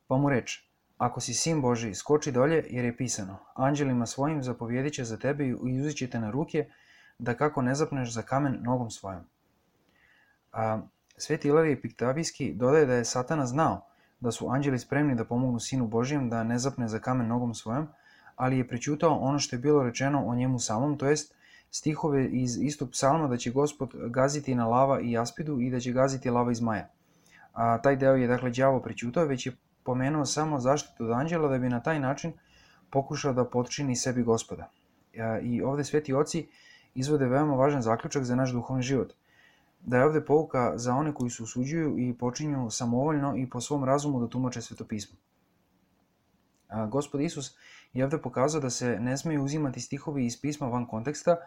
Pa mu reče: Ako si sin Božiji, skoči dolje, jer je pisano: Anđelima svojim zapovjedit će za tebe i uzet će te na ruke, da kako ne zapneš za kamen nogom svojom. Sveti Ilarije Piktavijski dodaje da je Satana znao da su anđeli spremni da pomognu Sinu Božijem da ne zapne za kamen nogom svojom, ali je prećutao ono što je bilo rečeno o njemu samom, to jest stihove iz istog psalma da će Gospod gaziti na lava i jaspidu i da će gaziti lava i zmaja. Taj deo je dakle đavo prećutao, već je pomenuo samo zaštitu od anđela da bi na taj način pokušao da potčini sebi Gospoda. I ovde sveti oci izvode veoma važan zaključak za naš duhovni život. Da je ovde pouka za one koji se usuđuju i počinju samovoljno i po svom razumu da tumače svetopismo. Gospod Isus je ovde pokazao da se ne smeju uzimati stihovi iz pisma van konteksta,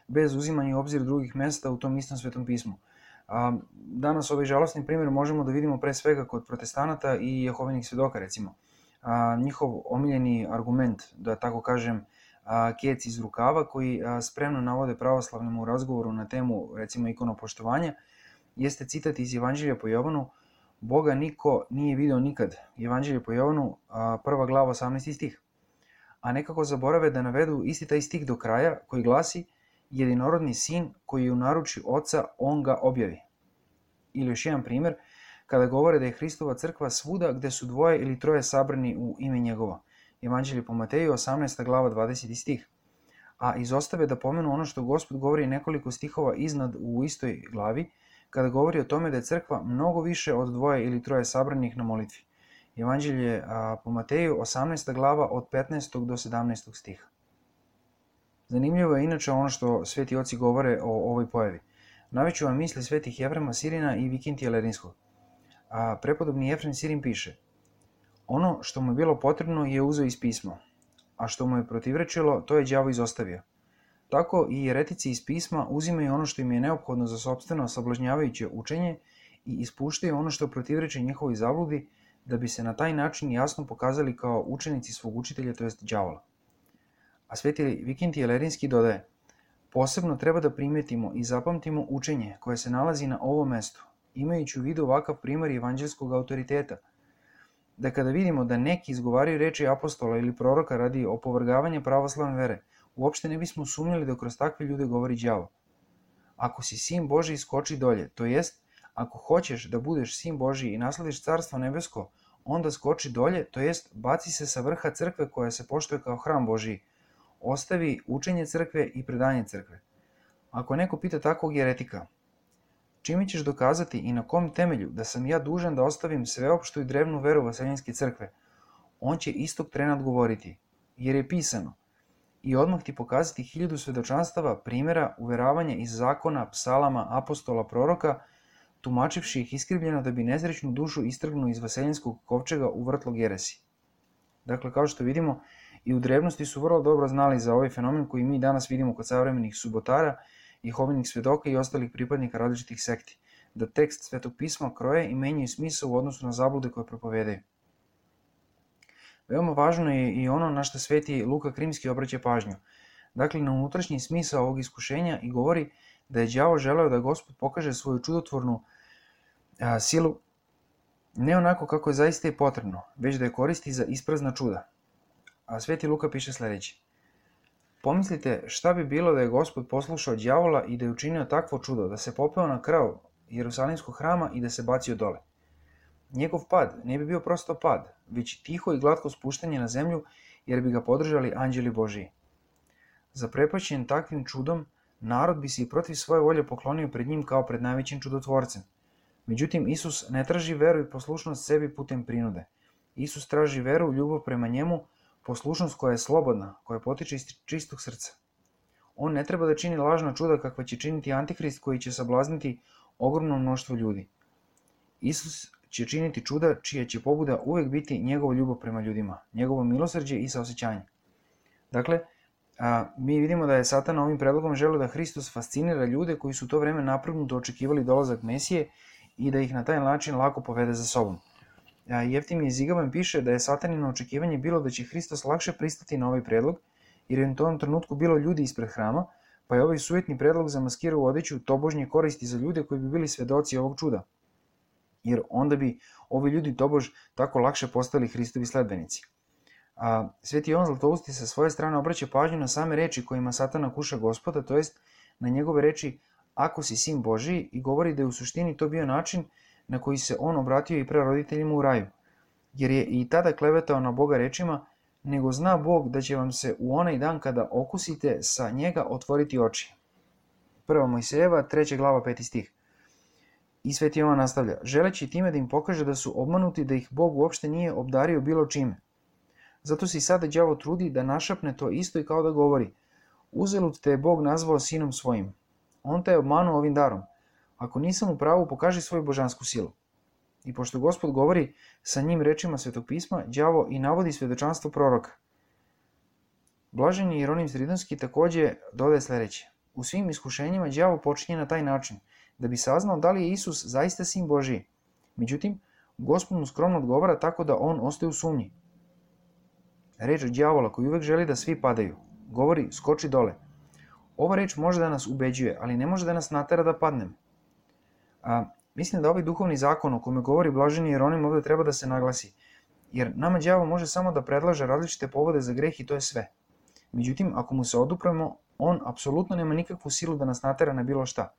bez uzimanja u obzir drugih mesta u tom istom svetom pismu. Danas ovaj žalostni primjer možemo da vidimo pre svega kod protestanata i jehovinih svedoka, recimo. Njihov omiljeni argument, da tako kažem, kec iz rukava, koji spremno navode pravoslavnim u razgovoru na temu, recimo, ikonopoštovanja, jeste citat iz Evanđelja po Jovanu: Boga niko nije video nikad. Evanđelje po Jovanu, 1. glava, 18. stih. A nekako zaborave da navedu isti taj stih do kraja, koji glasi: jedinorodni sin koji je u naruči oca, on ga objavi. Ili još jedan primjer, kada govore da je Hristova crkva svuda gde su dvoje ili troje sabrani u ime njegovo. Evanđelje po Mateju, 18. glava, 20. stih. A izostave da pomenu ono što Gospod govori nekoliko stihova iznad u istoj glavi, kada govori o tome da je crkva mnogo više od dvoje ili troje sabranih na molitvi. Evanđelje po Mateju, 18. glava, od 15. do 17. stiha. Zanimljivo je inače ono što sveti oci govore o ovoj pojavi. Naviću vam misli svetih Jefrema Sirina i Vikintija Lerinskog. Prepodobni Jefrem Sirin piše: ono što mu je bilo potrebno je uzeo iz pisma, a što mu je protivrečilo, to je đavo izostavio. Tako i jeretici iz pisma uzimaju ono što im je neophodno za sopstveno sablažnjavajuće učenje i ispuštaju ono što protivreče njihovoj zabludi, da bi se na taj način jasno pokazali kao učenici svog učitelja, to jest đavola. A sveti Vikintije Lerinski dodaje: posebno treba da primetimo i zapamtimo učenje koje se nalazi na ovom mestu, imajući u vidu ovakav primer evanđelskog autoriteta, da kada vidimo da neki izgovaraju reči apostola ili proroka radi opovrgavanja pravoslavne vere, uopšte ne bismo sumnjali da kroz takve ljude govori đavo. Ako si sin Božiji, skoči dolje, to jest, ako hoćeš da budeš sin Božiji i naslediš carstvo nebesko, onda skoči dolje, to jest, baci se sa vrha crkve koja se poštuje kao hram Božiji. Ostavi učenje crkve i predanje crkve. Ako neko pita takvog jeretika: čime ćeš dokazati i na kom temelju da sam ja dužan da ostavim sveopštu i drevnu veru Vaseljenske crkve, on će istog trena odgovoriti: jer je pisano. I odmah ti pokazati 1000 svedočanstava, primjera, uveravanja iz zakona, psalama, apostola, proroka, tumačivši ih iskrivljeno da bi nezrećnu dušu istrgnuo iz Vaseljenskog kovčega u vrtlog jeresi. Dakle, kao što vidimo, i u drevnosti su vrlo dobro znali za ovaj fenomen koji mi danas vidimo kod savremenih subotara, jehovinih svedoka i ostalih pripadnika različitih sekti, da tekst Svetog pisma kroje i menjaju smisao u odnosu na zablude koje propovedaju. Veoma važno je i ono na što sveti Luka Krimski obraća pažnju, dakle na unutrašnji smisao ovog iskušenja, i govori da je đavo želeo da Gospod pokaže svoju čudotvornu silu ne onako kako je zaista i potrebno, već da je koristi za isprazna čuda. A sveti Luka piše sledeće: pomislite šta bi bilo da je Gospod poslušao đavola i da je učinio takvo čudo, da se popeo na krov Jerusalimskog hrama i da se bacio dole. Njegov pad ne bi bio prosto pad, već tiho i glatko spuštanje na zemlju, jer bi ga podržali anđeli Božiji. Zaprepašćen takvim čudom, narod bi se i protiv svoje volje poklonio pred njim kao pred najvećim čudotvorcem. Međutim, Isus ne traži veru i poslušnost sebi putem prinude. Isus traži veru, ljubav prema njemu, poslušnost koja je slobodna, koja potiče iz čistog srca. On ne treba da čini lažna čuda kakva će činiti Antihrist, koji će sablazniti ogromno mnoštvo ljudi. Isus će činiti čuda čija će pobuda uvek biti njegova ljubav prema ljudima, njegovo milosrđe i saosećanje. Dakle, mi vidimo da je Satan ovim predlogom želeo da Hristos fascinira ljude koji su u to vreme naprgnuto očekivali dolazak Mesije i da ih na taj način lako povede za sobom. Jeftimije Zigaban piše da je Satanino očekivanje bilo da će Hristos lakše pristati na ovaj predlog, jer je u tom trenutku bilo ljudi ispred hrama, pa je ovaj sujetni predlog zamaskirao u odeću tobožnje koristi za ljude koji bi bili svedoci ovog čuda. jer onda bi ovi ljudi tobož tako lakše postali Hristovi sledbenici. Sveti Jovan Zlatousti sa svoje strane obraća pažnju na same reči kojima Satana kuša Gospoda, to jest na njegove reči ako si sin Božiji, i govori da je u suštini to bio način na koji se on obratio i praroditeljima u raju, jer je i tada klevetao na Boga rečima, nego zna Bog da će vam se u onaj dan kada okusite sa njega otvoriti oči. 1. Mojsejeva, 3. glava, 5. stih. I Sveti Jovan nastavlja, želeći time da im pokaže da su obmanuti, da ih Bog uopšte nije obdario bilo čime. Zato se i sada đavo trudi da našapne to isto i kao da govori, uzalud te je Bog nazvao sinom svojim. On te je obmanuo ovim darom. Ako nisam u pravu, pokaži svoju božansku silu. I pošto Gospod govori sa njim rečima Svetog pisma, đavo i navodi svedočanstvo proroka. Blaženi Jeronim Stridonski takođe dodaje sledeće. U svim iskušenjima đavo počinje na taj način, da bi saznao da li je Isus zaista sin Božiji. Međutim, Gospod mu skromno odgovara tako da on ostaje u sumnji. Reč đavola koji uvek želi da svi padaju, govori skoči dole. Ova reč može da nas ubeđuje, ali ne može da nas natera da padnemo. Mislim da ovaj duhovni zakon o kome govori blaženi Jeronim ovde treba da se naglasi, jer nama đavo može samo da predlaže različite povode za greh i to je sve. Međutim, ako mu se odupremo, on apsolutno nema nikakvu silu da nas natera na bilo šta.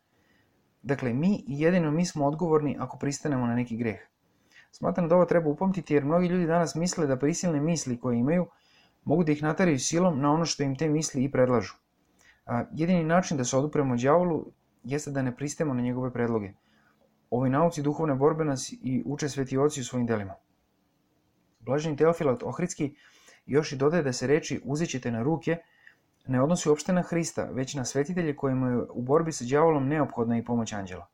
Dakle, mi i jedino mi smo odgovorni ako pristanemo na neki greh. Smatram da ovo treba upamtiti jer mnogi ljudi danas misle da prisilne misli koje imaju mogu da ih nateraju silom na ono što im te misli i predlažu. Jedini način da se odupremo đavolu jeste da ne pristajemo na njegove predloge. Ovoj nauci duhovne borbe nas i uče sveti oci u svojim delima. Blaženi Teofilat Ohridski još i dodaje da se reči uzećete na ruke ne odnosi uopšte na Hrista, već na svetitelje kojima je u borbi sa đavolom neophodna i pomoć anđela.